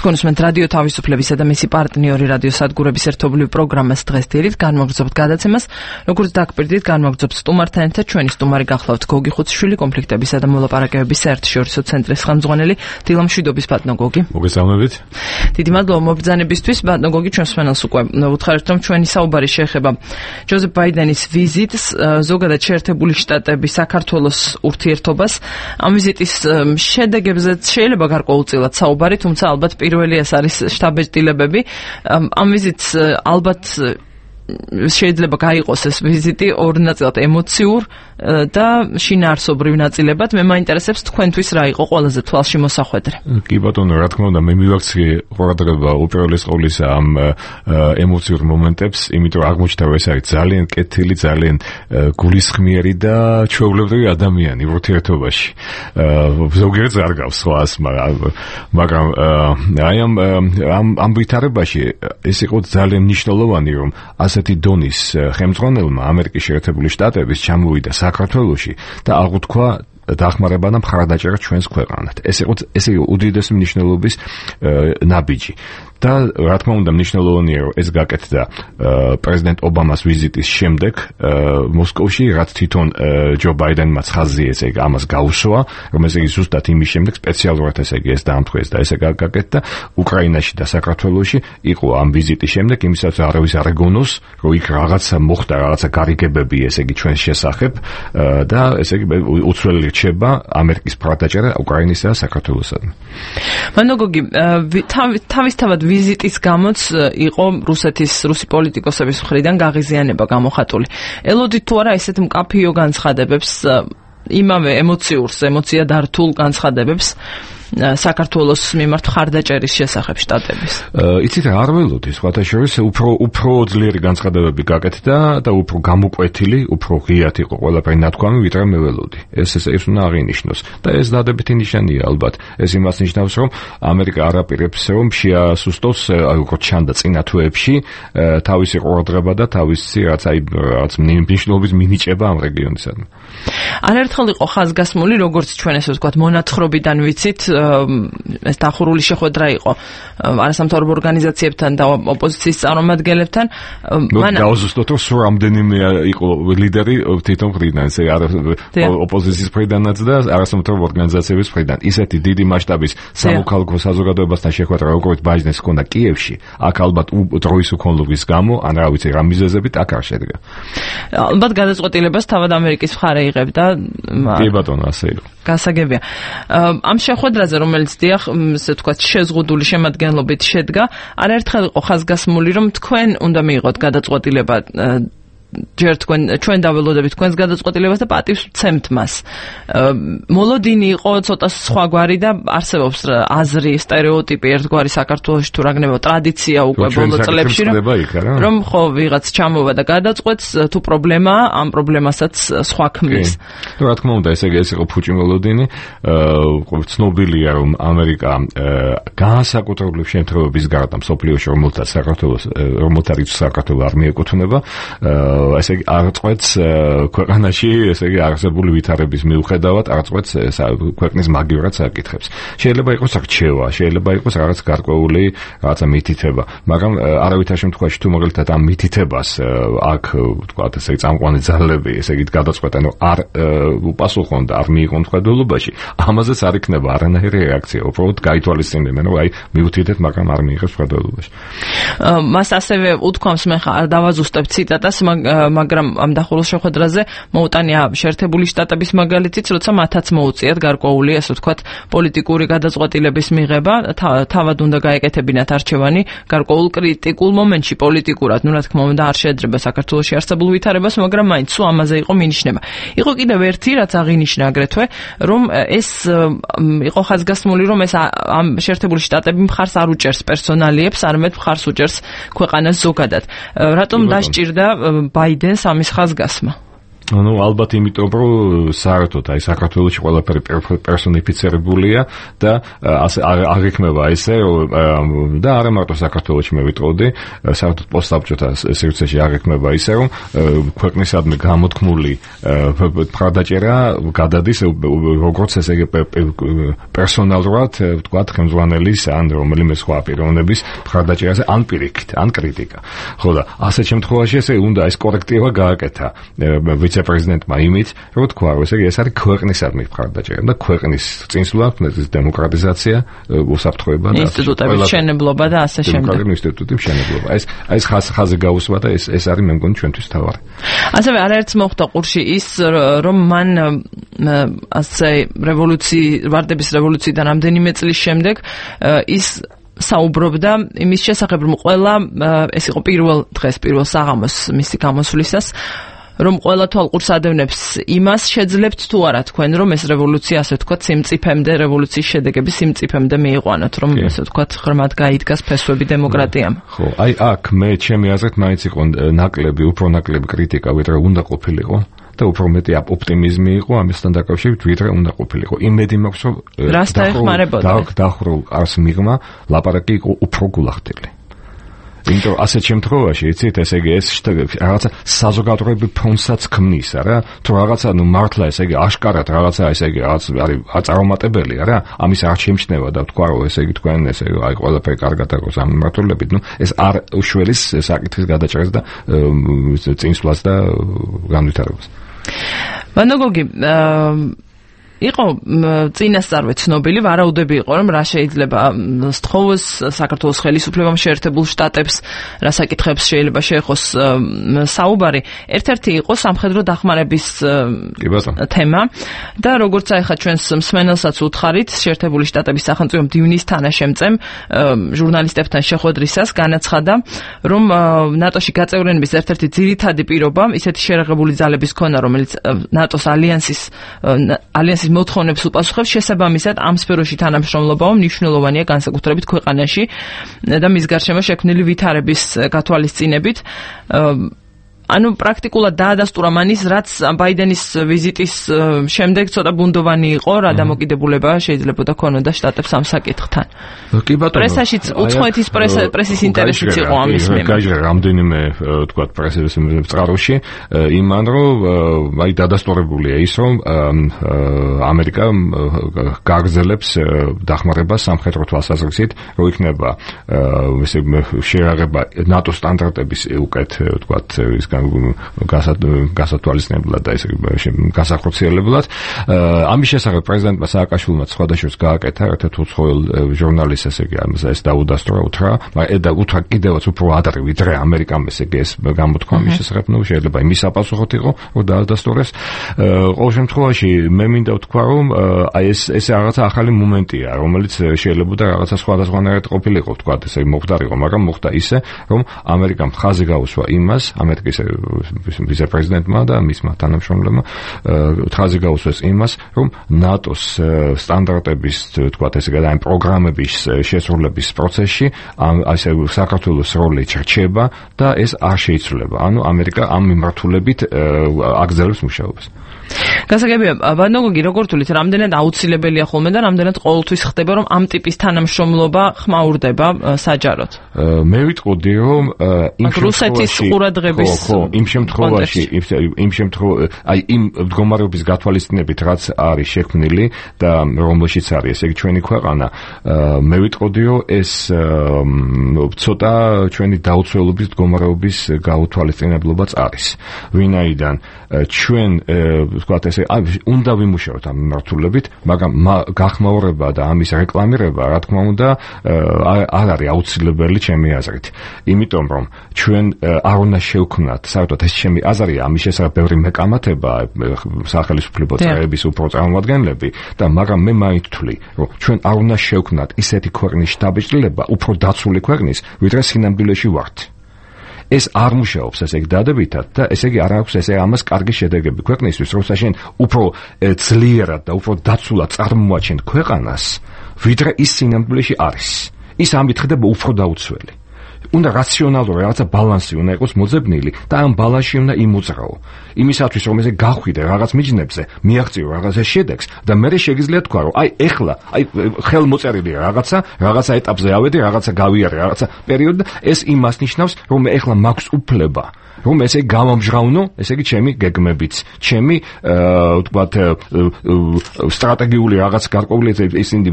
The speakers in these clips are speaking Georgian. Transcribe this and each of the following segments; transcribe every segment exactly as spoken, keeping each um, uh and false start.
თქვენ უსმენთ რადიო თავისუფლებისა და მისი პარტნიორი რადიო სადგურების ერთობლივ პროგრამას დღეს დილით განმოგრძობთ გადაცემას, როგორც დაგპირდით განმოგრძობთ სტუმართან ერთად ჩვენი სტუმარი გახლავთ გოგი ხუციშვილი, კონფლიქტებისა და მოლაპარაკებების საერთაშორისო ცენტრის ხელმძღვანელი დილამშვიდობის ბატონო გოგი. მოგესალმებით. დიდი მადლობა მობრძანებისთვის. ბატონო გოგი, ჩვენს მსმენელს უკვე უთხარით, რომ ჩვენი საუბარი შეეხება ჯოზეფ ბაიდენის ვიზიტს, ზოგადად შეერთებული შტატების საქართველოს ურთიერთობას. ამ ვიზიტის შედეგებზეც შეიძლება გარკვეულწილად საუბარი, თუმცა ალბათ პირველი ეს არის შტაბ-ეჭდილებები. ამ ვიზიტს ალბათ შეიძლება გაიყოს ეს ვიზიტი ორ ნაწილად, ემოციურ და შინაარსობრივ ნაწილებად. მე მაინტერესებს თქვენთვის რა იყო ყველაზე თვალში მოსახვედრე. კი ბატონო, რა თქმა უნდა, მე მივაქციე ყურადღება უპირველეს ყოვლისა ამ ემოციურ მომენტებს, იმიტომ რომ აღმოჩნდა, რომ ეს არის ძალიან კეთილი, ძალიან გულისხმიერი და ჩვეულებრივი ადამიანი ურთიერთობაში. ზოგიერთს არ გავს სხვას, მაგრამ აი ამ ამ ვითარებაში ეს იყო ძალიან მნიშვნელოვანი, რომ ასეთი დონის ხელმძღვანელმა ამერიკის შეერთებული შტატების ჩამოვიდა საქართველოში და აღუთქვა დახმარება და მხარდაჭერა ჩვენს ქვეყანად. ეს იყო ეს იყო უდიდესი მნიშვნელობის ნაბიჯი. და რა თქმა უნდა მნიშვნელოვანია, რომ ეს გაკეთდა პრეზიდენტ ობამას ვიზიტის შემდეგ მოსკოვში, რაც თვითონ ჯო ბაიდენმა ხაზი ესე იგი ამას გაუსვა, რომ ესე იგი ზუსტად იმის შემდეგ სპეციალურად ესე იგი ეს დაამტყეს და ესე გაკეთდა უკრაინაში და საქართველოში იყო ამ ვიზიტის შემდეგ, იმისაც არავის არ ეგონოს, რომ იქ რაღაცა მოხდა, რაღაცა გარიგებები ესე იგი ჩვენს შესახებ და ესე იგი უცვლელი რჩება ამერიკის მხარდაჭერა უკრაინისა და საქართველოსადმი. ბატონო გოგი, თავისთავად ვიზიტის გამოც იყო რუსეთის რუსი პოლიტიკოსების მხრიდან გაღიზიანება გამოხატული. ელოდით თუ არა ესეთ მკაფიო განცხადებებს, იმავე ემოციურს, ემოცია დართულ განცხადებებს საქართველოს მიმართ მხარდაჭერის შესახებ შტატების. იცით რა, არ ველოდი სხვათა შორის უფრო უფრო ძლიერი განცხადებები გაკეთდა და უფრო გამოკვეთილი, უფრო ღიად იყო ყველაფერი ნათქვამი, ვიდრე მე ველოდი. ეს ეს ეს უნდა აღინიშნოს და ეს დადებითი ნიშანია ალბათ. ეს იმას ნიშნავს, რომ ამერიკა არ აპირებს, რომ შეასუსტოს, აი როგორც ჩანდა წინა თვეებში, თავისი ყურადღება და თავისი რაც აი რაც მნიშვნელობის მინიჭება ამ რეგიონისადმი. არაერთხელ იყო ხაზგასმული, როგორც ჩვენ ესე ვთქვათ, მონათხრობიდან ვიცით, ეს დახურული შეხვედრა იყო არასამთავრობო ორგანიზაციებთან და ოპოზიციის წარმომადგენლებთან. მან გაუზუსტოთ, რომ სულ რამდენიმე იყო ლიდერი თვითონ მხრიდან, ესე ოპოზიციის მხრიდანაც და არასამთავრობო ორგანიზაციების მხრიდან. ისეთი დიდი მასშტაბის სამოქალაქო საზოგადოებასთან შეხვედრა, როგორც ბაიდენს ჰქონდა კიევში, აქ ალბათ დროის უქონლობის გამო, ან რა ვიცი, რა მიზეზებით აქ არ შედგა. ალბათ გადაწყვეტილებას თავად ამერიკის მხარე იღებდა. კი ბატონო, ასე იყო. გასაგებია. ამ შეხვედრაზე, რომელიც დიახ, ესე ვთქვათ, შეზღუდული შემადგენლობით შედგა, არაერთხელ იყო ხაზგასმული, რომ თქვენ უნდა მიიღოთ გადაწყვეტილება, ჯერ თქვენ ჩვენ დაველოდებით თქვენს გადაწყვეტილებას და პატივს ვცემთ მას. მოლოდინი იყო ცოტა სხვაგვარი და არსებობს აზრი, სტერეოტიპი ერთგვარი საქართველოში თუ რაგნებო ტრადიცია უკვე ბოლო წლებში, რომ ხო ვიღაც ჩამოვა და გადაწყვეტს, თუ პრობლემაა, ამ პრობლემასაც სხვა ქმნის. რა თქმა უნდა, ესე იგი ეს იყო ფუჭი მოლოდინი. ცნობილია, რომ ამერიკა განსაკუთრებული შემთხვევების გარდა მსოფლიოში, რომელთაც საქართველოს რომელთაც საქართველოს არ მიეკუთვნება, ესე იგი არწყვეტს ქვეყანაში, ესე იგი არსებული ვითარების მიუხედავად არწყვეტს ქვეყნის მაგივრად საკითხებს. შეიძლება იყოს რჩევა, შეიძლება იყოს რაღაც გარკვეული რაღაცა მითითება, მაგრამ არავითარ შემთხვევაში თუ მაგალითად ამ მითითებას აქ ვთქვათ, ესე იგი წამყვანი ძალები, ესე იგი გადაწყვეტენ, რომ არ უპასუხონ და არ მიიღონ მხედველობაში, ამაზეც არ იქნება არანაირი რეაქცია, უბრალოდ გაითვალისწინებენ, რომ აი მივთითეთ, მაგრამ არ მიიღებს მხედველობაში. მას ასევე უთქვამს, მე ხარ დავაზუსტებ ციტატას, მაგრამ ამ დახურულ შეხვედრაზე მოუტანია შეერთებული შტატების მაგალითიც, როცა მათაც მოუწიათ გარკვეული, ასე ვთქვათ, პოლიტიკური გადაწყვეტილების მიღება, თავად უნდა გაეკეთებინათ არჩევანი გარკვეულ კრიტიკულ მომენტში პოლიტიკურად, ну რა თქმა უნდა არ შეეძრება საქართველოში არსებულ ვითარებას, მაგრამ მაინც სულ ამაზე იყო მინიშნება. იყო კიდევ ერთი, რაც აღინიშნა აგრეთვე, რომ ეს იყო ხაზგასმული, რომ ეს ამ შეერთებული შტატები მხარს არ უჭერს პერსონალიებს, არამედ მხარს უჭერს ქვეყანას ზოგადად. რატომ დასჭირდა ბაიდენს ამის ხაზგასმა? ну ალბათ იმიტომ რომ საერთოდ აი საქართველოში ყველაფერი პერსონიფიცირებულია და ასე არ იქნება ესე და არა მარტო საქართველოში მე ვიტყოდი საერთოდ პოსტსაბჭოთა სივრცეში არ იქნება ისე რომ ქვეყნისადმი გამოთქმული მხარდაჭერა გადადის როგორც ესე იგი პერსონალურად ვთქვათ ხელმძღვანელის ან რომელიმე სხვა პიროვნების მხარდაჭერაზე ან პირიქით ან კრიტიკა ხო და ასეთ შემთხვევაში ესე უნდა ეს კორექტივა გააკეთა ვიცე-პრეზიდენტმა იმით, რომ თქვა, რომ ესე იგი ეს არის ქვეყნისადმი მხარდაჭერა და ქვეყნის წინსვლა, დემოკრატიზაცია, უსაფრთხოება და ინსტიტუტების მშენებლობა და ასე შემდეგ. დემოკრატიული ინსტიტუტების მშენებლობა. ეს ეს ხაზი გაუსვა და ეს ეს არის მე მგონი ჩვენთვის თავარი. ასევე არაერთს მოხდა ყურში ის, რომ მან ასე რევოლუციის, ვარდების რევოლუციიდან რამდენიმე წლის შემდეგ ის საუბრობდა იმის შესახებ, რომ ყველა ეს იყო პირველ დღეს, პირველ საღამოს მისი გამოსვლისას რომ ყველა თვალყურს ადევნებს იმას შეძლებთ თუ არა თქვენ რომ ეს რევოლუცია ასე ვთქვათ სიმწიფემდე რევოლუციის შედეგები სიმწიფემდე მიიყვანოთ რომ ასე ვთქვათ ღრმად გაიდგას ფესვები დემოკრატიამ ხო აი აქ მე ჩემი აზრით მაინც იყო ნაკლები უფრო ნაკლები კრიტიკა ვიდრე უნდა ყოფილიყო და უფრო მეტი ოპტიმიზმი იყო ამასთან დაკავშირებით ვიდრე უნდა ყოფილიყო იმედი მაქვს რომ დახრულ არს მიღმა ლაპარაკი იყო უფრო გულახდელი იმიტომ ასეთ შემთხვევაში იცით ესე იგი ეს რაღაცა საზოგადოებრივ ფონსაც ქმნის არა თუ რაღაცა ნუ მართლა ესე იგი აშკარად რაღაცა ესე იგი რაღაც არის აწარმოებელია რა ამის არ შემჩნევა და თქვა რომ ესე იგი თქვენ ესე იგი აი ყველაფერი კარგად აქვს ამ მმართველობით ნუ ეს არ უშველის საკითხის გადაჭრას და წინსვლას და განვითარებას ვანოგოგი იყო წინასწარვე ცნობილი ვარაუდები იყო რომ რა შეიძლება სთხოვოს საქართველოს ხელისუფლებამ შეერთებულ შტატებს რა საკითხებს შეიძლება შეეხოს საუბარი ერთ-ერთი იყო სამხედრო დახმარების თემა და როგორც ახლა ჩვენს მსმენელსაც უთხარით შეერთებული შტატების სახელმწიფო მდივნის თანაშემწემ ჟურნალისტებთან შეხვედრისას განაცხადა რომ ნატოში გაწევრიანების ერთ-ერთი ძირითადი პირობა ისეთი შერაღებული ძალების ქონა რომელიც ნატოს ალიანსის ალიანსის მოთხოვნებს უპასუხებს შესაბამისად ამ სფეროში თანამშრომლობაო მნიშვნელოვანია განსაკუთრებით ქვეყანაში და მის გარშემო შექმნილი ვითარების გათვალისწინებით ანუ პრაქტიკულად დაადასტურა მანის რაც ბაიდენის ვიზიტის შემდეგ ცოტა ბუნდოვანი იყო რა დამოკიდებულება შეიძლება ქონოდა შტატებს ამ საკითხთან. კი ბატონო. პრესაშიც უცხოეთის პრესის ინტერესიც იყო ამის მიმართ. გაიჟღერა რამდენიმე თქვა პრესის წყაროში იმან რომ აი დადასტურებულია ის რომ ამერიკა გაგრძელებს დახმარებას სამხედრო თვალსაზრისით რომ იქნება ესე შეერაღება ნატო სტანდარტების უკეთ თქვა ის გასათვალისწინებლად და ესე გასახორციელებლად ამის შესახებ პრეზიდენტმა სააკაშვილმა სხვადასხვა გააკეთა ერთ-ერთ უცხოელ ჟურნალისტს ესე იგი ეს დაუდასტურა უთრა მაგრამ და უთრა კიდევაც უფრო ადრე ვიდრე ამერიკამ ესე იგი ეს გამოთქვა ამის შესახებ ნუ შეიძლება იმის საპასუხოდ იყო რომ დაადასტურეს ყოველ შემთხვევაში მე მინდა ვთქვა რომ აი ეს ეს რაღაცა ახალი მომენტია რომელიც შეიძლება და რაღაცა სხვადასხვანაირად ყოფილიყო ვთქვა ესე მოხდარიყო მაგრამ მოხდა ისე რომ ამერიკამ ხაზი გაუსვა იმას ამერიკის ვიცე-პრეზიდენტმა და მისმა თანამშრომლებმა ხაზი გაუსვეს იმას, რომ ნატოს სტანდარტების, თქვათ ესე გადაი პროგრამების შესრულების პროცესში ასე საქართველოს როლი რჩება და ეს არ შეიცვლება. ანუ ამერიკა ამ მიმართულებით აგრძელებს მუშაობას. გასაგებია, ვანოგოგი როგორ თulit რამდენად აუცილებელია ხოლმე და რამდენად ყოველთვის ხდება რომ ამ ტიპის თანამშრომლობა ხმაურდება საჯაროდ. მე ვიტყოდი რომ იმ რუსეთის ყურადღების იმ შემთხვევაში იმ შემთხვევაში აი იმ მდგომარეობის გათვალისწინებით რაც არის შექმნილი და რომელშიც არის ესე იგი ჩვენი ქვეყანა მე ვიტყოდი რომ ეს ცოტა ჩვენი დაუცველობის მდგომარეობის გაუთვალისწინებლობაც არის ვინაიდან ჩვენ ვთქვათ ესე უნდა ვიმუშაოთ ამ მიმართულებით მაგრამ გახმაურება და ამის რეკლამირება რა თქმა უნდა არ არის აუცილებელი ჩემი აზრით იმიტომ რომ ჩვენ არ უნდა შევქმნათ საერთოდ ეს ჩემი აზრია ამის შესახებ ბევრი მეკამათება სახელმწიფო წევრების უფრო წარმომადგენლები და მაგრამ მე მაინც ვთვლი რომ ჩვენ არ უნდა შევქმნათ ისეთი ქვეყნის შტაბ-ბიჭდილება უფრო დაცული ქვეყნის ვიდრე სინამდვილეში ვართ ეს არ მუშაობს ესე იგი დადებითად და ესე იგი არ აქვს ესე ამას კარგი შედეგები ქვეყნისთვის როცა შენ უფრო ძლიერად და უფრო დაცულად წარმოაჩენ ქვეყანას ვიდრე ის სინამდვილეში არის ის ამით ხდება უფრო დაუცველი უნდა რაციონალური რაღაცა ბალანსი უნდა იყოს მოძებნილი და ამ ბალანსში უნდა იმოძრაო. იმისათვის რომ ესე გახვიდე რაღაც მიჯნებზე, მიაღწიო რაღაცა შედეგს და მე შეგიძლია თქვა რომ აი ეხლა აი ხელმოწერილია რაღაცა, რაღაცა ეტაპზე ავედი, რაღაცა გავიარე, რაღაცა პერიოდი და ეს იმას ნიშნავს რომ მე ეხლა მაქვს უფლება რომ ესე გამომჟღავნო, ესე იგი ჩემი გეგმებიც, ჩემი ვთქვათ სტრატეგიული რაღაც გარკვეული ისინი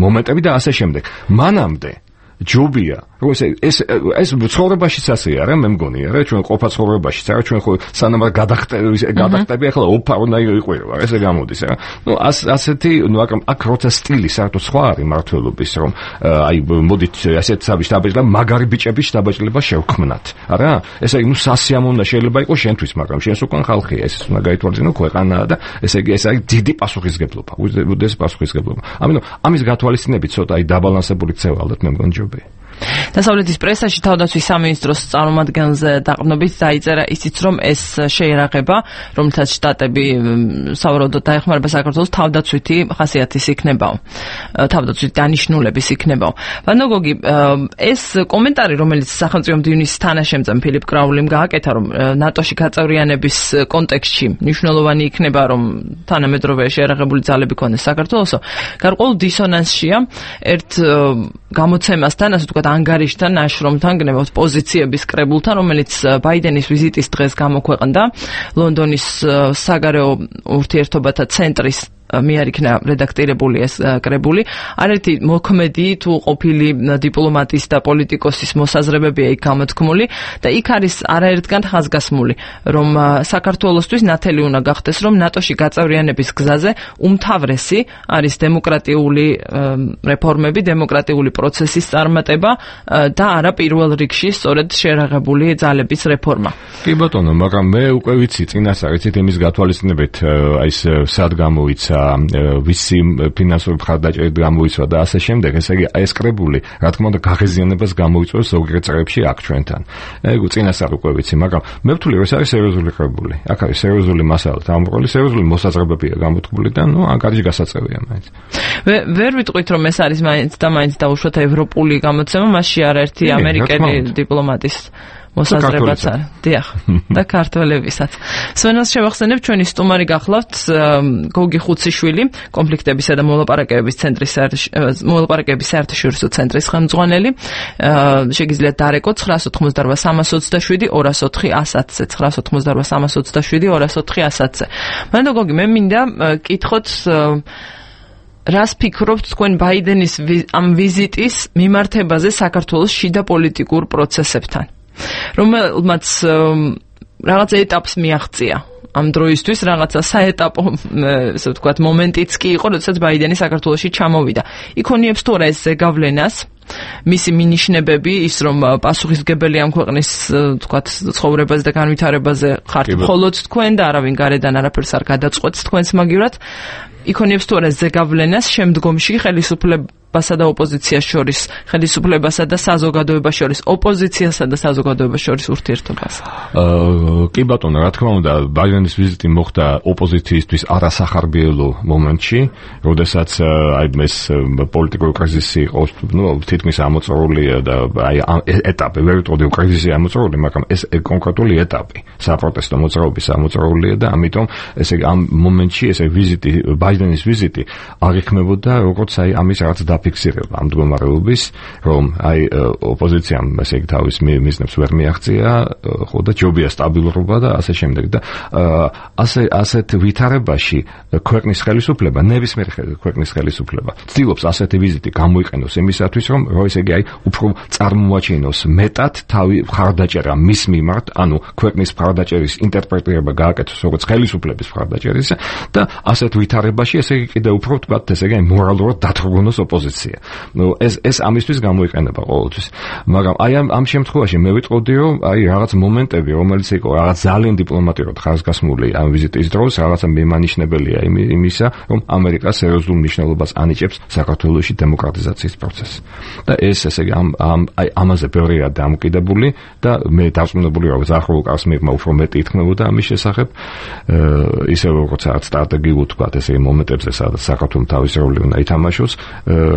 მომენტები და ასე შემდეგ. მანამდე ჯობია რომ ეს ეს ეს ცხოვრებაშიც ასეა რა მე მგონია რა ჩვენ ყოფა ცხოვრებაშიც არა ჩვენ ხო სანამ გადახტები გადახტები ახლა ოფარნაი იყვება ესე გამოდის რა ნუ ასეთი ნუ აქ როცა სტილი საერთოდ სხვა არის მართლობის რომ აი მოდით ასეთ საბჭი დაბეჭდა მაგარი ბიჭები დაბეჭდება შევქმნათ არა ესე იგი ნუ სასიამოვნო შეიძლება იყოს შენთვის მაგრამ შენს უკან ხალხია ეს უნდა გაითვალისწინო ქვეყანაა და ესე იგი ეს არის დიდი პასუხისგებლობა უდიდეს პასუხისგებლობა ამიტომ ამის გათვალისწინებით ცოტა აი დაბალანსებული ქცევა ალბათ მე მგონი ჯობია დასავლეთის პრესაში თავდაცვის სამინისტროს წარმომადგენელზე დაყრდნობით დაიწერა ისიც, რომ ეს შეერაღება, რომელთაც შტატები სავარაუდოდ დაეხმარება საქართველოს თავდაცვითი ხასიათის იქნებაო. თავდაცვითი დანიშნულების იქნებაო. ვანოგოგი, ეს კომენტარი, რომელიც სახელმწიფო მდივნის თანაშემწე ფილიპ კრაულიმ გააკეთა, რომ ნატოში გაწევრიანების კონტექსტში მნიშვნელოვანი იქნება, რომ თანამედროვე შეერაღებული ძალები ქონდეს საქართველოსო, გარკვეულ დისონანსშია ერთ გამოცემასთან, ასე ვთქვათ, ანგარიშთან, ნაშრომთან, გნებავთ პოზიციების კრებულთან, რომელიც ბაიდენის ვიზიტის დღეს გამოქვეყნდა ლონდონის საგარეო ურთიერთობათა ცენტრის მიერ იქნა რედაქტირებული ეს კრებული. არაერთი მოქმედი თუ ყოფილი დიპლომატის და პოლიტიკოსის მოსაზრებებია იქ გამოთქმული და იქ არის არაერთგან ხაზგასმული, რომ საქართველოსთვის ნათელი უნდა გახდეს, რომ ნატოში გაწევრიანების გზაზე უმთავრესი არის დემოკრატიული რეფორმები, დემოკრატიული პროცესის წარმატება და არა პირველ რიგში სწორედ შეერაღებული ძალების რეფორმა. კი ბატონო, მაგრამ მე უკვე ვიცი წინასწარ იცით იმის გათვალისწინებით აი ეს სად გამოიცა ვისი ფინანსური მხარდაჭერით გამოიწვა და ასე შემდეგ, ესე იგი ეს კრებული, რა თქმა უნდა, გაღიზიანებას გამოიწვევს ზოგიერთ წრეებში აქ ჩვენთან. ეგ წინასწარ უკვე ვიცი, მაგრამ მე ვთვლი, რომ ეს არის სერიოზული კრებული. აქ არის სერიოზული მასალა, ამბროლი სერიოზული მოსაზრებებია გამოთქმული და ნუ ანგარიში გასაწევია მაინც. ვერ ვიტყვით, რომ ეს არის მაინც და მაინც დაუშვათ ევროპული გამოცემა, მასში არაერთი ამერიკელი დიპლომატის მოსაზრებაც არის. დიახ, და ქართველებისაც. სვენელს შევახსენებ, ჩვენი სტუმარი გახლავთ გოგი ხუციშვილი, კონფლიქტებისა და მოლაპარაკებების ცენტრის მოლაპარაკებების საერთაშორისო ცენტრის ხელმძღვანელი. შეგიძლიათ დარეკოთ ცხრა ოთხმოცდაოთხ სამას ოცდაშვიდი ორას ოთხი ასათზე ცხრა ოთხმოცდაოთხ სამას ოცდაშვიდი ორას ოთხი ასათზე. მანდ გოგი, მე მინდა კითხოთ რას ფიქრობთ თქვენ ბაიდენის ამ ვიზიტის მიმართებაზე საქართველოს შიდა პოლიტიკურ პროცესებთან? რომელმაც რაღაც ეტაპს მიაღწია ამ დროისთვის, რაღაცა საეტაპო, ესე ვთქვათ, მომენტიც კი იყო, როდესაც ბაიდენი საქართველოში ჩამოვიდა. იქონიებს თუ არა ეს ზეგავლენას, მისი მინიშნებები, ის რომ პასუხისმგებელი ამ ქვეყნის, ვთქვათ, ცხოვრებაზე და განვითარებაზე ხართ მხოლოდ თქვენ და არავინ გარედან არაფერს არ გადაწყვეტს თქვენს მაგივრად, იქონიებს თუ არა ზეგავლენას შემდგომში ხელისუფლებასა და ოპოზიციას შორის, ხელისუფლებასა და საზოგადოებას შორის, ოპოზიციასა და საზოგადოებას შორის ურთიერთობას? კი ბატონო, რა თქმა უნდა, ბაიდენის ვიზიტი მოხდა ოპოზიციისთვის არასახარბიელო მომენტში, როდესაც აი ეს პოლიტიკური კრიზისი იყო, ნუ თითქმის ამოწურულია და აი ეტაპი, ვერ ვიტყოდი კრიზისი ამოწურული, მაგრამ ეს კონკრეტული ეტაპი, საპროტესტო მოძრაობის ამოწურულია და ამიტომ ესე ამ მომენტში ესე ვიზიტი ბაიდენის ვიზიტი არ იქნებოდა როგორც აი ამის რაღაც დაფიქსირება ამ მდგომარეობის, რომ აი ოპოზიციამ ესე იგი თავის მიზნებს ვერ მიაღწია, ხო და ჯობია სტაბილურობა და ასე შემდეგ და ასე ასეთ ვითარებაში ქვეყნის ხელისუფლება, ნებისმიერ ქვეყნის ხელისუფლება ცდილობს ასეთი ვიზიტი გამოიყენოს იმისათვის, რომ ესე იგი აი უფრო წარმოაჩინოს მეტად თავი მხარდაჭერა მის მიმართ, ანუ ქვეყნის მხარდაჭერის ინტერპრეტირება გააკეთოს როგორც ხელისუფლების მხარდაჭერის და ასეთ ვითარებაში ესე იგი კიდევ უფრო ვთქვათ, ესე იგი მორალურად დათრგუნოს ოპოზიცია. ნუ ეს ეს ამისთვის გამოიყენება ყოველთვის. მაგრამ აი ამ ამ შემთხვევაში მე ვიტყოდი, რომ აი რაღაც მომენტები, რომელიც იყო რაღაც ძალიან დიპლომატიურად ხაზგასმული ამ ვიზიტის დროს, რაღაცა მიმანიშნებელია იმისა, რომ ამერიკა სერიოზულ მნიშვნელობას ანიჭებს საქართველოში დემოკრატიზაციის პროცესს. და ეს ესე იგი ამ ამ აი ამაზე ბევრია დამოკიდებული და მე დარწმუნებული ვარ, რომ ზახაროვ კარს მიღმა უფრო მეტი ითქმებოდა ამის შესახებ, ისე როგორც რაღაც სტრატეგიულ თქვათ ესე იმ მომენტებზე, სადაც საქართველოს თავის როლი უნდა ითამაშოს,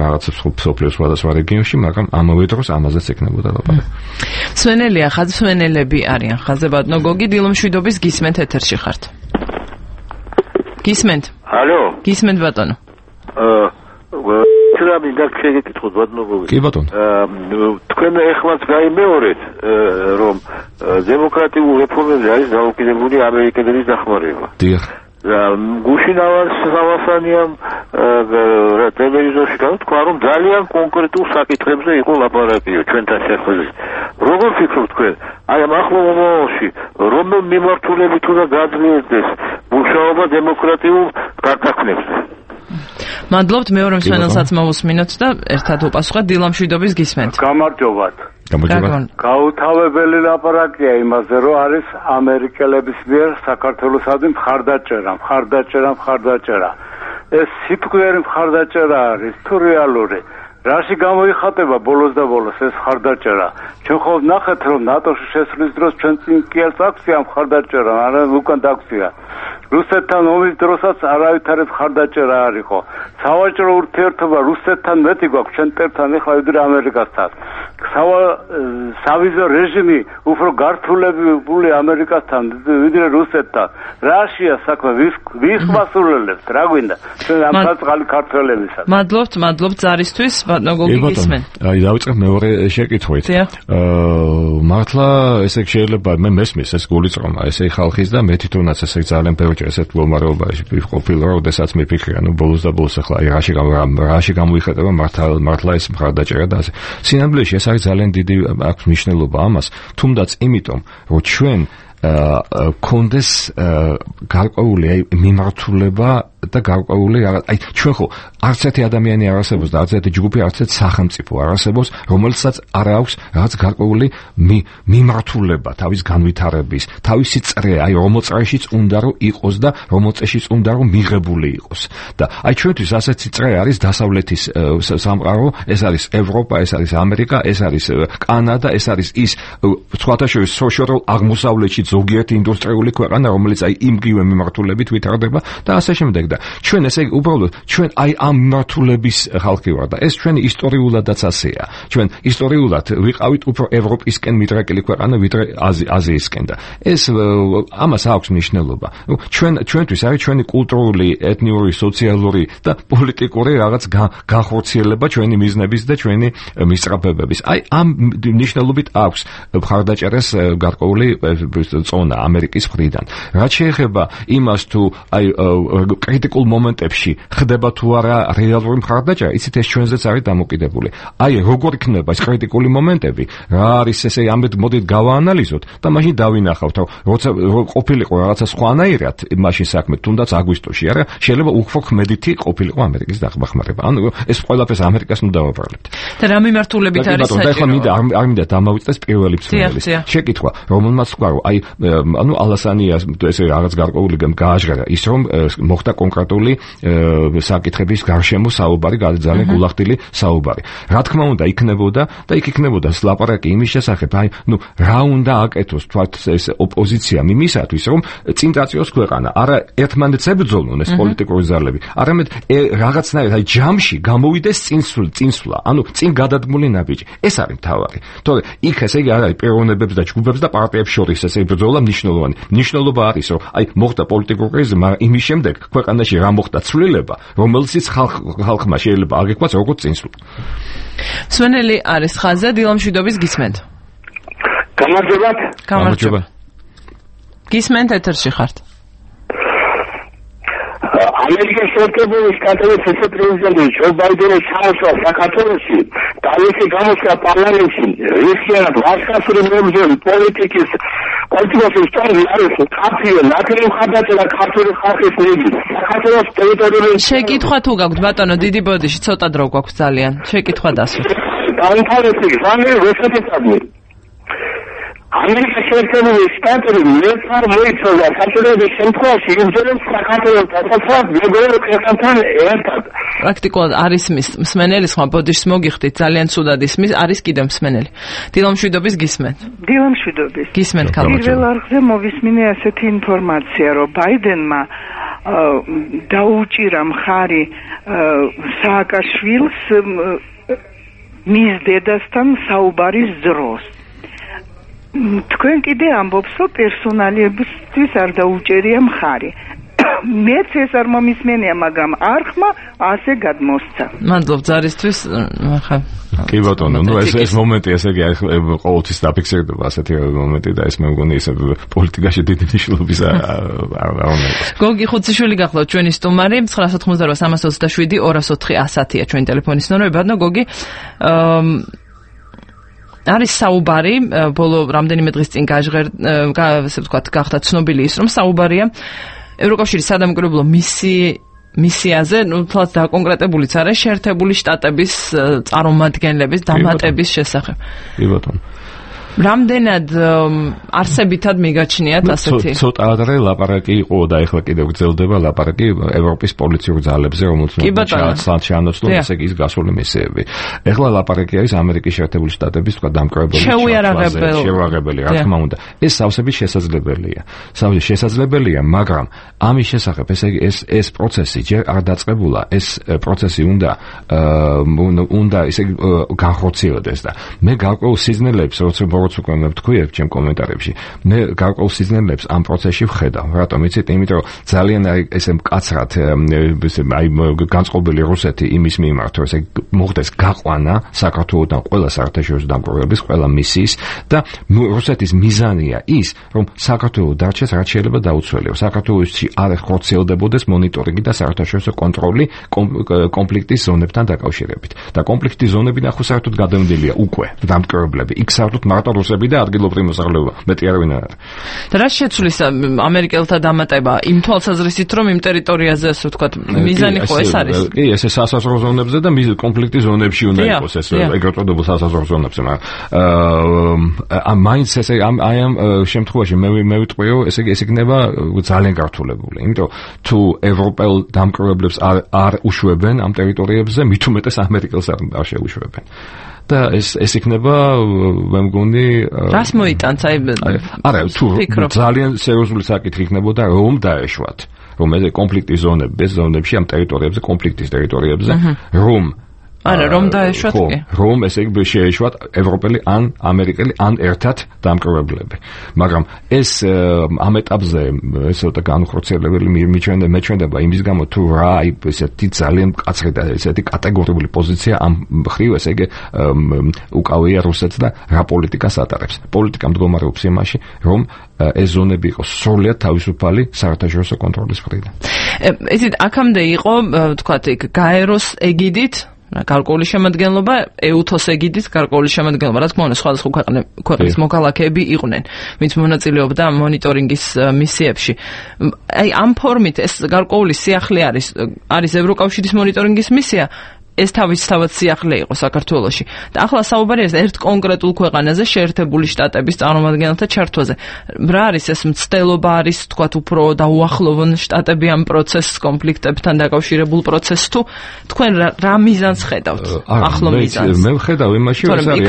რაღაცებს სოფლიოს სხვადასხვა რეგიონში, მაგრამ ამავე დროს ამაზეც ეკნებოდა ლაპარაკი. სვენელია, ხაზსვენელები არიან. ხაზებადნო გოგი, დილომშვიდობის გისმენთ ეთერში ხართ. გისმენთ. ალო. გისმენთ ბატონო. აა ტრაბი დაგშეგეკითხოთ ბატონო გოგი. კი ბატონო. თქვენ ეხლაც გაიმეორეთ, რომ დემოკრატიულ რეფორმებზე არის დაუკიდებული ამერიკელების დახმარება. დიახ. გუშინავას სამასანიამ ტელევიზორში თქვა, რომ ძალიან კონკრეტულ საკითხებზე იყო ლაპარაკიო ჩვენთან შეხვედრით. როგორ ფიქრობთ თქვენ? აი ამ ახლო მომავალში რომელ მიმართულებით უნდა გაძლიერდეს მუშაობა დემოკრატიულ გარდაქმნებზე? მადლობთ, მეორე მსმენელსაც მოვუსმინოთ და ერთად უპასუხოთ. დილამშვიდობის გისმენთ. გამარჯობათ. გამარჯობა. გაუთავებელი ლაპარაკია იმაზე, რომ არის ამერიკელების მიერ საქართველოსადმი მხარდაჭერა, მხარდაჭერა, მხარდაჭერა. ეს სიტყვიერი მხარდაჭერა არის თუ რეალური? რაში გამოიხატება ბოლოს და ბოლოს ეს მხარდაჭერა? ჩვენ ხო ნახეთ, რომ ნატოში შესვლის დროს ჩვენ წინ კიელს აქვსია მხარდაჭერა, არა უკან დაქვსია. რუსეთთან ომის დროსაც არავითარი მხარდაჭერა არ იყო. სავაჭრო ურთიერთობა რუსეთთან მეტი გვაქვს ჩვენ ტერთან ახლა ვიდრე ამერიკასთან. სავიზო რეჟიმი უფრო გართულებული ამერიკასთან ვიდრე რუსეთთან. რაშია საქმე? ვის ვის მასულელებს? რა გვინდა? ჩვენ ამ წყალი ქართველებისა. მადლობთ, მადლობთ ზარისთვის, ბატონო გოგი გისმენთ. აი დავიწყებ მეორე შეკითხვით. აა მართლა ესე შეიძლება მე მესმის ეს გულიწრომა, ესე ხალხის და მე თვითონაც ესე ძალიან ბევრი ესეთ მდგომარეობაში ვიყופილ, როდესაც მიფიქრე, ანუ ბოლოს და ბოლოს ახლა აი რაში რაში გამოიხატება მართლა მართლა ეს მხარდაჭერა და ასე. სინამდვილეში ეს არის ძალიან დიდი აქვს მნიშვნელობა ამას, თუნდაც იმიტომ, რომ ჩვენ კონდეს გარკვეული აი მიმართულება და გარკვეული აი ჩვენ ხო არც ერთი ადამიანი არ არსებობს და არც ერთი ჯგუფი არც ერთი სახელმწიფო არ არსებობს, რომელსაც არ აქვს რაღაც გარკვეული მიმართულება თავის განვითარების, თავისი წრე, აი რომელ წრეშიც უნდა რომ იყოს და რომელ წრეშიც უნდა რომ მიღებული იყოს. და აი ჩვენთვის ასეთი წრე არის დასავლეთის სამყარო, ეს არის ევროპა, ეს არის ამერიკა, ეს არის კანადა, ეს არის ის სხვათა შორის სოციალურ აღმოსავლეთში ზოგიერთი ინდუსტრიული ქვეყანა, რომელიც აი იმგივე მიმართულებით ვითარდება და ასე შემდეგ. და ჩვენ ესე უბრალოდ ჩვენ აი ამ მიმართულების ხალხი ვარ და ეს ჩვენი ისტორიულადაც ასეა. ჩვენ ისტორიულად ვიყავით უფრო ევროპისკენ მიდრეკილი ქვეყანა ვიდრე აზიისკენ და ეს ამას აქვს მნიშვნელობა. ჩვენ ჩვენთვის არის ჩვენი კულტურული, ეთნიკური, სოციალური და პოლიტიკური რაღაც განხორციელება ჩვენი მიზნების და ჩვენი მისწრაფებების. აი ამ მნიშვნელობით აქვს მხარდაჭერას გარკვეული წონა ამერიკის მხრიდან. რაც შეეხება იმას თუ აი კრიტიკულ მომენტებში ხდება თუ არა რეალური მხარდაჭერა, იცით ეს ჩვენზეც არის დამოკიდებული. აი როგორ იქნება ეს კრიტიკული მომენტები, რა არის ესე ამით მოდით გავაანალიზოთ და მაშინ დავინახავთ, რომ როცა ყოფილიყო რაღაცა სხვანაირად მაშინ საქმე, თუნდაც აგვისტოში, არა, შეიძლება უფრო ხმედითი ყოფილიყო ამერიკის დახმარება. ანუ ეს ყველაფერს ამერიკას ნუ დავაბრალებთ. და რა მიმართულებით არის საჭირო? და ახლა მინდა არ მინდა დამავიწყდეს პირველი მსმენელის შეკითხვა, რომელმაც თქვა, რომ აი ანუ ალასანიას ესე რაღაც გარკვეული გააჟღერა ის რომ მოხდა კონკრეტული საკითხების გარშემო საუბარი, ძალიან გულახდილი საუბარი. რა თქმა უნდა იქნებოდა და იქ იქნებოდა ლაპარაკი იმის შესახებ, აი ნუ რა უნდა აკეთოს თქვათ ეს ოპოზიცია იმისათვის, რომ წინ დაწიოს ქვეყანა, არა ერთმანეთს ებრძოლონ ეს პოლიტიკური ძალები, არამედ რაღაცნაირად აი ჯამში გამოვიდეს წინსვლა, წინსვლა, ანუ წინ გადადგმული ნაბიჯი. ეს არის მთავარი. თორე იქ ესე იგი არ არის პიროვნებებს და ჯგუფებს და პარტიებს შორის ესე ბრძოლა მნიშვნელოვანი. მნიშვნელობა არის, რომ აი მოხდა პოლიტიკური კრიზი, მაგრამ იმის შემდეგ ქვეყანაში რა მოხდა ცვლილება, რომელსაც ხალხმა შეიძლება აგეკვაც როგორც წინსვლა. სვენელი არის ხაზზე, დილამშვიდობის გისმენთ. გამარჯობათ. გამარჯობა. გისმენთ ეთერში ხართ. ამერიკის შეერთებული შტატების ვიცე-პრეზიდენტი ჯო ბაიდენის ჩამოსვლა საქართველოში და მისი გამოსვლა პარლამენტში რისკიანად ვარსკვლავური მებრძოლი პოლიტიკის პოლიტიკის ისტორია არის კაფეო ნაკრები მხარდაჭერა ქართული ხალხის მხრიდან საქართველოს ტერიტორიული შეკითხვა თუ გაქვთ ბატონო დიდი ბოდიში ცოტა დრო გვაქვს ძალიან შეკითხვა დასვით დაინტერესდი რამე რუსეთისადმი ამერიკის შეერთებული შტატები მეფარ მოიცავდა საქართველოს შემთხვევაში იმძერებს საქართველოს დასაცავად მეგობრულ ქვეყანთან ერთად. პრაქტიკულად არის მსმენელის ხმა ბოდიშს მოგიხდით ძალიან ცუდად ისმის არის კიდევ მსმენელი. დილამშვიდობის გისმენთ. დილამშვიდობის. გისმენთ ქალბატონო. პირველ არხზე მოვისმინე ასეთი ინფორმაცია, რომ ბაიდენმა დაუჭირა მხარი სააკაშვილს მის დედასთან საუბარის დროს. თქვენ კიდე ამბობს, რომ პერსონალიებისთვის არ დაუჭერია მხარი. მეც ეს არ მომისმენია, მაგრამ არხმა ასე გადმოსცა. მადლობ ზარისთვის, ხა. კი ბატონო, ნუ ეს ეს მომენტი ესე იგი ყოველთვის დაფიქსირდება ასეთი მომენტი და ეს მე მგონი ისე პოლიტიკაში დიდი მნიშვნელობის არ უნდა. გოგი ხუციშვილი გახლავთ ჩვენი სტუმარი, ცხრა ათოთხმოცდაოთხ სამას ოცდაშვიდი ორას ოთხი ასათია ჩვენი ტელეფონის ნომერი. ბატონო გოგი, არის საუბარი, ბოლო რამდენიმე დღის წინ გაჟღერ, ასე ვთქვათ, გახდა ცნობილი ის, რომ საუბარია ევროკავშირის სადამკვირვებლო მისიაზე, ნუ თვალს დაკონკრეტებულიც არის შეერთებული შტატების წარმომადგენლების დამატების შესახებ. კი ბატონო. რამდენად არსებითად მიგაჩნიათ ასეთი? ცოტა ადრე ლაპარაკი იყო და ეხლა კიდევ გრძელდება ლაპარაკი ევროპის პოლიციურ ძალებზე, რომელთაც ჩაანაცვლონ ესე იგი ის გასული მისიები. ეხლა ლაპარაკი არის ამერიკის შეერთებული შტატების თქვა დამკვირვებელი შეუარაღებელი, რა თქმა უნდა. ეს სავსებით შესაძლებელია. სავსებით შესაძლებელია, მაგრამ ამის შესახებ ესე იგი ეს ეს პროცესი ჯერ არ დაწყებულა, ეს პროცესი უნდა უნდა ესე იგი განხორციელდეს და მე გარკვეულ სიზნელებს როცა როგორც უკვე მე ვთქვი ჩემ კომენტარებში, მე გარკვეულ სიზნელებს ამ პროცესში ვხედავ. რატომ იცით? იმიტომ რომ ძალიან ესე მკაცრად ესე აი განწყობილი რუსეთი იმის მიმართ, რომ ესე მოხდეს გაყვანა საქართველოსთან ყველა საერთაშორისო დამკვირვებლების, ყველა მისიის და რუსეთის მიზანია ის, რომ საქართველოს დარჩეს რაც შეიძლება დაუცველია. საქართველოსში არ ხორციელდებოდეს მონიტორინგი და საერთაშორისო კონტროლი კონფლიქტის ზონებთან დაკავშირებით. და კონფლიქტის ზონები ნახო საერთოდ გადამდელია უკვე დამკვირვებლები. იქ საერთოდ მარტო რუსები და ადგილობრივი მოსახლეობა, მეტი არ ვინ არის. და რა შეცვლის ამერიკელთა დამატება იმ თვალსაზრისით, რომ იმ ტერიტორიაზე ასე ვთქვათ, მიზანი ხო ეს არის? კი, ესე სასაზღვრო ზონებზე და კონფლიქტის ზონებში უნდა იყოს ეს ეგრეთ წოდებულ სასაზღვრო ზონებზე, მაგრამ აა მაინც ესე აი ამ შემთხვევაში მე მე ვიტყვი, რომ ესე ესე იქნება ძალიან გართულებული. იმიტომ თუ ევროპელ დამკვირვებლებს არ არ უშვებენ ამ ტერიტორიებზე, მით უმეტეს ამერიკელს არ შეუშვებენ. და ეს ეს იქნება მე მგონი რას მოიტანს აი არა თუ ძალიან სერიოზული საკითხი იქნებოდა რომ დაეშვათ რომ ეს კონფლიქტის ზონები ეს ზონებში ამ ტერიტორიებზე კონფლიქტის ტერიტორიებზე რომ არა რომ დაეშვათ კი რომ ესე იგი შეეშვათ ევროპელი ან ამერიკელი ან ერთად დამკვირვებლები მაგრამ ეს ამ ეტაპზე ესე და განხორციელებელი მიჩვენდება იმის გამო თუ რა აი ესეთი ძალიან მკაცრი და ესეთი კატეგორიული პოზიცია ამ ხრივ ესე იგი უკავია რუსეთს და რა პოლიტიკას ატარებს პოლიტიკა მდგომარეობს იმაში რომ ეს ზონები იყოს სრულად თავისუფალი საერთაშორისო კონტროლის მხრიდან ესეთ აქამდე იყო თქვათ იქ გაეროს ეგიდით გარკვეული შემადგენლობა ეუთოს ეგიდით გარკვეული შემადგენლობა რა თქმა უნდა სხვადასხვა ქვეყნის მოქალაქეები იყვნენ ვინც მონაწილეობდა მონიტორინგის მისიებში აი ამ ფორმით ეს გარკვეული სიახლე არის არის ევროკავშირის მონიტორინგის მისია ეს თავისთავად სიახლე იყო საქართველოში და ახლა საუბარია ერთ კონკრეტულ ქვეყანაზე შეერთებული შტატების წარმომადგენელთა ჩართვაზე რა არის ეს მცდელობა არის თქვათ უფრო დაუახლოვონ შტატები ამ პროცესს კონფლიქტებთან დაკავშირებულ პროცესს თუ თქვენ რა მიზანს ხედავთ ახლო მიზანს მე ვხედავ იმაში რომ ეს არის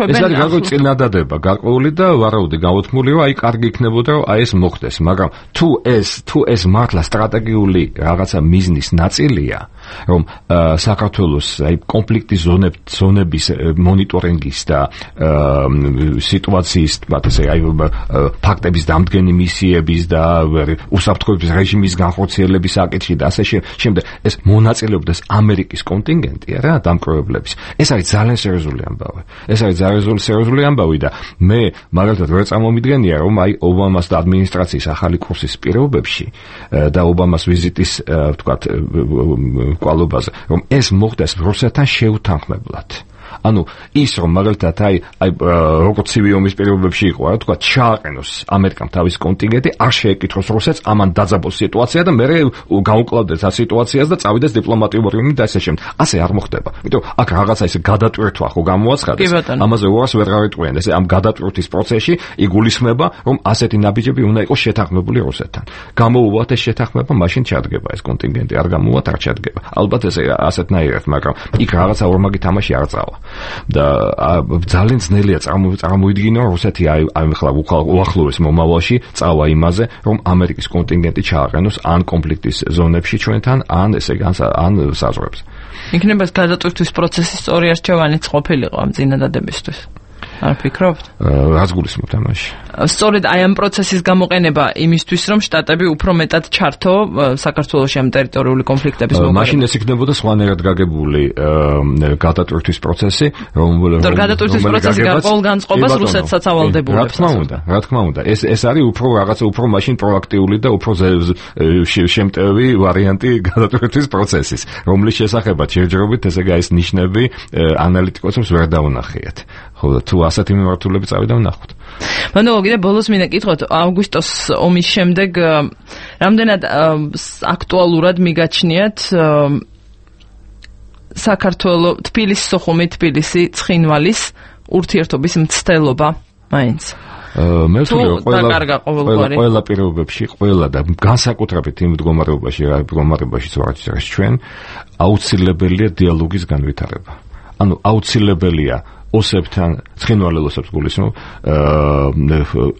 ეს არის გარკვეული წინადადება გარკვეული და ვარაუდი გაუთქმული რომ აი კარგი იქნებოდა რომ აი ეს მოხდეს მაგრამ თუ ეს თუ ეს მართლა სტრატეგიული რაღაცა მიზნის ნაწილია რომ საქართველოს აი კონფლიქტის ზონების მონიტორინგის და სიტუაციის თქმა ასე აი ფაქტების დამდგენი მისიების და უსაფრთხოების რეჟიმის განხორციელების საკითხი და ასე შემდეგ ეს მონაწილეობდეს ამერიკის კონტინგენტი რა დამკვირვებლების ეს არის ძალიან სერიოზული ამბავი ეს არის ძალიან სერიოზული ამბავი და მე მაგალითად ვერ წარმომიდგენია რომ აი ობამას და ადმინისტრაციის ახალი კურსის პირობებში და ობამას ვიზიტის თქვა კვალობაზე რომ ეს მოხდეს რუსეთთან შეუთანხმებლად ანუ ის რომ მაგალითად აი აი როგორც ცივი ომის პირობებში იყო რა თქვა ჩააყენოს ამერიკამ თავის კონტინგენტი არ შეეკითხოს რუსეთს ამან დაძაბოს სიტუაცია და მე გაუკლავდეს ამ სიტუაციას და წავიდეს დიპლომატიური ურთიერთობები და ასე შემდეგ ასე არ მოხდება იმიტომ აქ რაღაცა ისე გადატვირთვა ხო გამოაცხადეს ამაზე უარს ვერ გავიტყვიან ესე ამ გადატვირთვის პროცესში იგულისხმება რომ ასეთი ნაბიჯები უნდა იყოს შეთანხმებული რუსეთთან გამოუვათ ეს შეთანხმება მაშინ ჩადგება ეს კონტინგენტი არ გამოუვათ არ ჩადგება ალბათ ესე ასეთნაირად მაგრამ იქ რაღაცა ორმაგი თამაში არ წავა და ძალიან ძნელია წარმოიდგინო რუსეთი აი აი ხლა უახლოეს მომავალში წავა იმაზე რომ ამერიკის კონტინგენტი ჩააყენოს ან კონფლიქტის ზონებში ჩვენთან ან ესე ან საზღვრებზე. იქნება გადაწყვეტის პროცესის სწორი არჩევანიც ყოფილიყო ამ წინადადებისთვის. არ ფიქრობთ? რაც გულისხმობთ ამაში. სწორედ აი ამ პროცესის გამოყენება იმისთვის, რომ შტატები უფრო მეტად ჩართო საქართველოში ამ ტერიტორიული კონფლიქტების მოგვარებით. მაშინ ეს იქნებოდა სხვანაირად გაგებული გადაწყვეტის პროცესი, რომ გადაწყვეტის პროცესი გარკვეულ განწყობას რუსეთსაც ავალდებულებს. რა თქმა უნდა, რა თქმა უნდა. ეს ეს არის უფრო რაღაცა უფრო მაშინ პროაქტიული და უფრო შემტევი ვარიანტი გადაწყვეტის პროცესის, რომლის შესახებაც შეჯერობით ესე გაის ნიშნები ანალიტიკოსებს ვერ დაუნახიათ. ხო და თუ ასეთი მიმართულებით წავიდა ვნახოთ. მანდა კიდე ბოლოს მინდა კითხოთ, აგვისტოს ომის შემდეგ რამდენად აქტუალურად მიგაჩნიათ საქართველოს თბილისის სოხუმი თბილისი ცხინვალის ურთიერთობის მცდელობა მაინც. მე ვთვლი ყველა ყველა პირობებში ყველა და განსაკუთრებით იმ მდგომარეობაში რა მდგომარეობაში ვარჩევს ჩვენ აუცილებელია დიალოგის განვითარება. ანუ აუცილებელია ოსებთან, ცხინვალელოსებს გულისხმობ,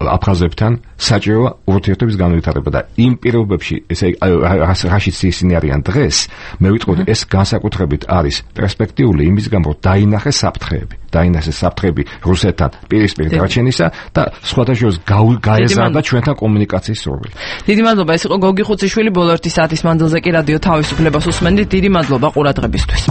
აფხაზებთან საჭირო ურთიერთობის განვითარება და იმ პირობებში, ესე რაშიც ისინი არიან დღეს, მე ვიტყოდი, ეს განსაკუთრებით არის პერსპექტიული იმის გამო, რომ დაინახეს საფრთხეები, დაინახეს საფრთხეები რუსეთთან პირისპირ დარჩენისა და სხვათა შორის გაეზარდა ჩვენთან კომუნიკაციის სურვილი. დიდი მადლობა, ეს იყო გოგი ხუციშვილი, ბოლო ერთი საათის მანძილზე კი რადიო თავისუფლებას უსმენდით. დიდი მადლობა ყურადღებისთვის.